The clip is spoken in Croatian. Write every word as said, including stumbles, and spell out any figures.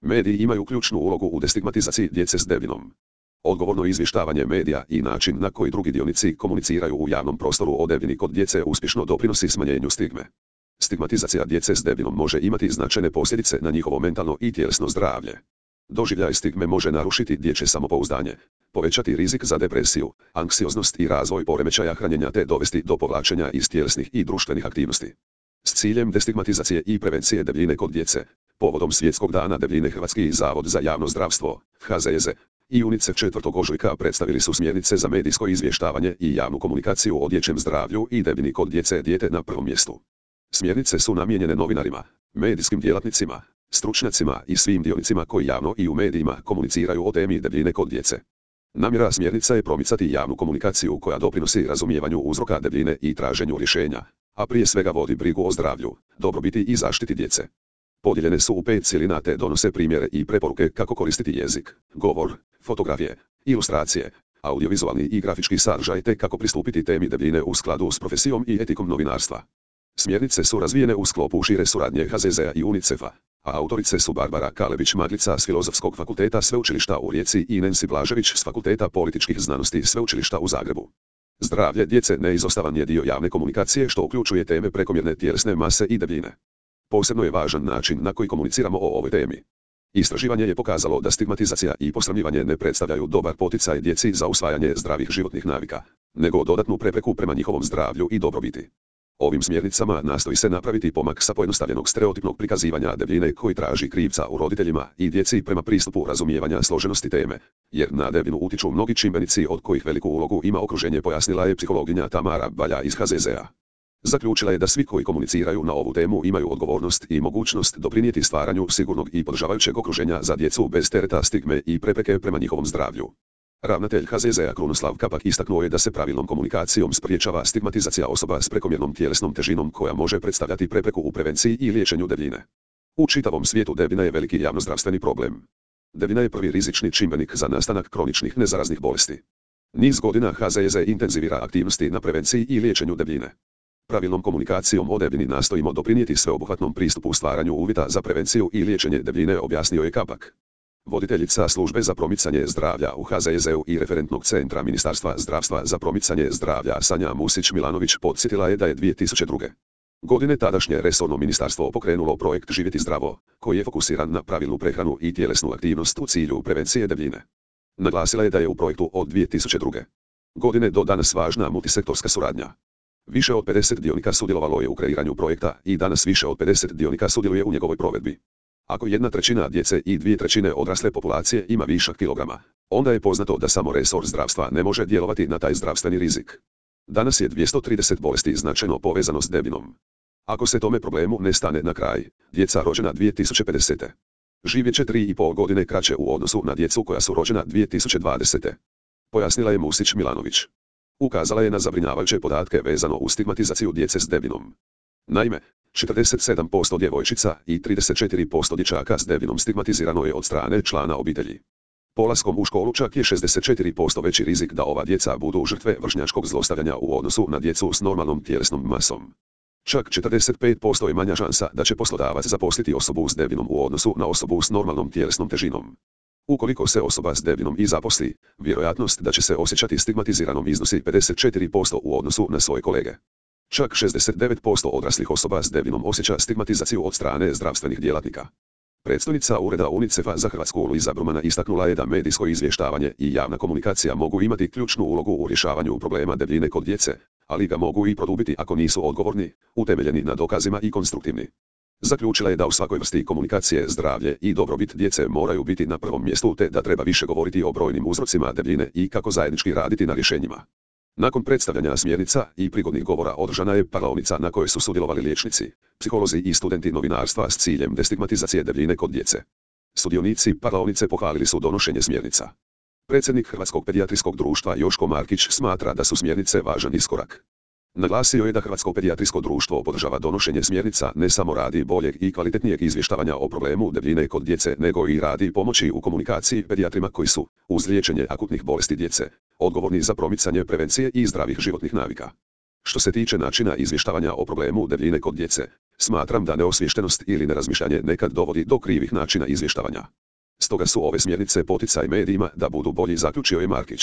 Mediji imaju ključnu ulogu u destigmatizaciji djece s debljinom. Odgovorno izvještavanje medija i način na koji drugi dionici komuniciraju u javnom prostoru o debljini kod djece uspješno doprinosi smanjenju stigme. Stigmatizacija djece s debljinom može imati značajne posljedice na njihovo mentalno i tjelesno zdravlje. Doživljaj stigme može narušiti dječje samopouzdanje, povećati rizik za depresiju, anksioznost i razvoj poremećaja hranjenja te dovesti do povlačenja iz tjelesnih i društvenih aktivnosti. S ciljem destigmatizacije i prevencije debljine kod djece, povodom Svjetskog dana debljine Hrvatski zavod za javno zdravstvo, H Z Z, i UNICEF četvrtog ožujka predstavili su smjernice za medijsko izvještavanje i javnu komunikaciju o dječjem zdravlju i debljini kod djece, dijete na prvom mjestu. Smjernice su namijenjene novinarima, medijskim djelatnicima, stručnjacima i svim dionicima koji javno i u medijima komuniciraju o temi debljine kod djece. Namjera smjernica je promicati javnu komunikaciju koja doprinosi razumijevanju uzroka debljine i traženju rješenja, a prije svega vodi brigu o zdravlju, dobrobiti i zaštiti djece. Podijeljene su u pet cjelina te donose primjere i preporuke kako koristiti jezik, govor, fotografije, ilustracije, audiovizualni i grafički sadržaj te kako pristupiti temi debljine u skladu s profesijom i etikom novinarstva. Smjernice su razvijene u sklopu šire suradnje H Z Z-a i UNICEF-a, a autorice su Barbara Kalebić-Maglica s Filozofskog fakulteta Sveučilišta u Rijeci i Nancy Blažević s Fakulteta političkih znanosti Sveučilišta u Zagrebu. Zdravlje djece neizostavan je dio javne komunikacije što uključuje teme prekomjerne tjelesne mase i debljine. Posebno je važan način na koji komuniciramo o ovoj temi. Istraživanje je pokazalo da stigmatizacija i posramljivanje ne predstavljaju dobar poticaj djeci za usvajanje zdravih životnih navika, nego dodatnu prepreku prema njihovom zdravlju i dobrobiti. Ovim smjernicama nastoji se napraviti pomak sa pojednostavljenog stereotipnog prikazivanja debljine koji traži krivca u roditeljima i djeci prema pristupu razumijevanja složenosti teme, jer na debljinu utiču mnogi čimbenici od kojih veliku ulogu ima okruženje, pojasnila je psihologinja Tamara Balja iz H Z Z-a. Zaključila je da svi koji komuniciraju na ovu temu imaju odgovornost i mogućnost doprinijeti stvaranju sigurnog i podržavajućeg okruženja za djecu bez tereta stigme i prepreke prema njihovom zdravlju. Ravnatelj H Z Z-a Krunoslav Kapak istaknuo je da se pravilnom komunikacijom spriječava stigmatizacija osoba s prekomjernom tjelesnom težinom koja može predstavljati prepreku u prevenciji i liječenju debljine. U čitavom svijetu debljina je veliki javnozdravstveni problem. Debljina je prvi rizični čimbenik za nastanak kroničnih nezaraznih bolesti. Niz godina H Z Z intenzivira aktivnosti na prevenciji i liječenju debljine. Pravilnom komunikacijom o debljini nastojimo doprinijeti sveobuhvatnom pristupu stvaranju uvjeta za prevenciju i liječenje debljine, objasnio je Kapak. Voditeljica službe za promicanje zdravlja u H Z Z-u i referentnog centra Ministarstva zdravstva za promicanje zdravlja Sanja Musić-Milanović podsjetila je da je dvije tisuće druge. godine tadašnje resorno ministarstvo pokrenulo projekt Živjeti zdravo, koji je fokusiran na pravilnu prehranu i tjelesnu aktivnost u cilju prevencije debljine. Naglasila je da je u projektu od dvije tisuće druge. godine do danas važna multisektorska suradnja. Više od pedeset dionika sudjelovalo je u kreiranju projekta i danas više od pedeset dionika sudjeluje u njegovoj provedbi. Ako jedna trećina djece i dvije trećine odrasle populacije ima višak kilograma, onda je poznato da samo resor zdravstva ne može djelovati na taj zdravstveni rizik. Danas je dvjesto trideset bolesti značajno povezano s debljinom. Ako se tome problemu ne stane na kraj, djeca rođena dvije tisuće pedesete živjet će tri i pol godine kraće u odnosu na djecu koja su rođena dvije tisuće dvadesete Pojasnila je Musić-Milanović. Ukazala je na zabrinjavajuće podatke vezano uz stigmatizaciju djece s debljinom. Naime, četrdeset sedam posto djevojčica i trideset četiri posto dječaka s debljinom stigmatizirano je od strane člana obitelji. Polaskom u školu čak je šezdeset četiri posto veći rizik da ova djeca budu žrtve vršnjačkog zlostavljanja u odnosu na djecu s normalnom tjelesnom masom. Čak četrdeset pet posto je manja šansa da će poslodavac zaposliti osobu s debljinom u odnosu na osobu s normalnom tjelesnom težinom. Ukoliko se osoba s debljinom i zaposli, vjerojatnost da će se osjećati stigmatiziranom iznosi pedeset četiri posto u odnosu na svoje kolege. Čak šezdeset devet posto odraslih osoba s debljinom osjeća stigmatizaciju od strane zdravstvenih djelatnika. Predstojnica Ureda UNICEF-a za Hrvatsku Luiza Brumana istaknula je da medijsko izvještavanje i javna komunikacija mogu imati ključnu ulogu u rješavanju problema debljine kod djece, ali ga mogu i produbiti ako nisu odgovorni, utemeljeni na dokazima i konstruktivni. Zaključila je da u svakoj vrsti komunikacije zdravlje i dobrobit djece moraju biti na prvom mjestu te da treba više govoriti o brojnim uzrocima debljine i kako zajednički raditi na rješenjima. Nakon predstavljanja smjernica i prigodnih govora održana je parlaonica na kojoj su sudjelovali liječnici, psiholozi i studenti novinarstva s ciljem destigmatizacije debljine kod djece. Sudionici parlaonice pohvalili su donošenje smjernica. Predsjednik Hrvatskog pedijatrijskog društva Joško Markić smatra da su smjernice važan iskorak. Naglasio je da Hrvatsko pedijatrijsko društvo podržava donošenje smjernica ne samo radi boljeg i kvalitetnijeg izvještavanja o problemu debljine kod djece, nego i radi pomoći u komunikaciji pedijatrima koji su, uz liječenje akutnih bolesti djece, odgovorni za promicanje prevencije i zdravih životnih navika. Što se tiče načina izvještavanja o problemu debljine kod djece, smatram da neosviještenost ili nerazmišljanje nekad dovodi do krivih načina izvještavanja. Stoga su ove smjernice poticaj medijima da budu bolji, zaključio je Markić.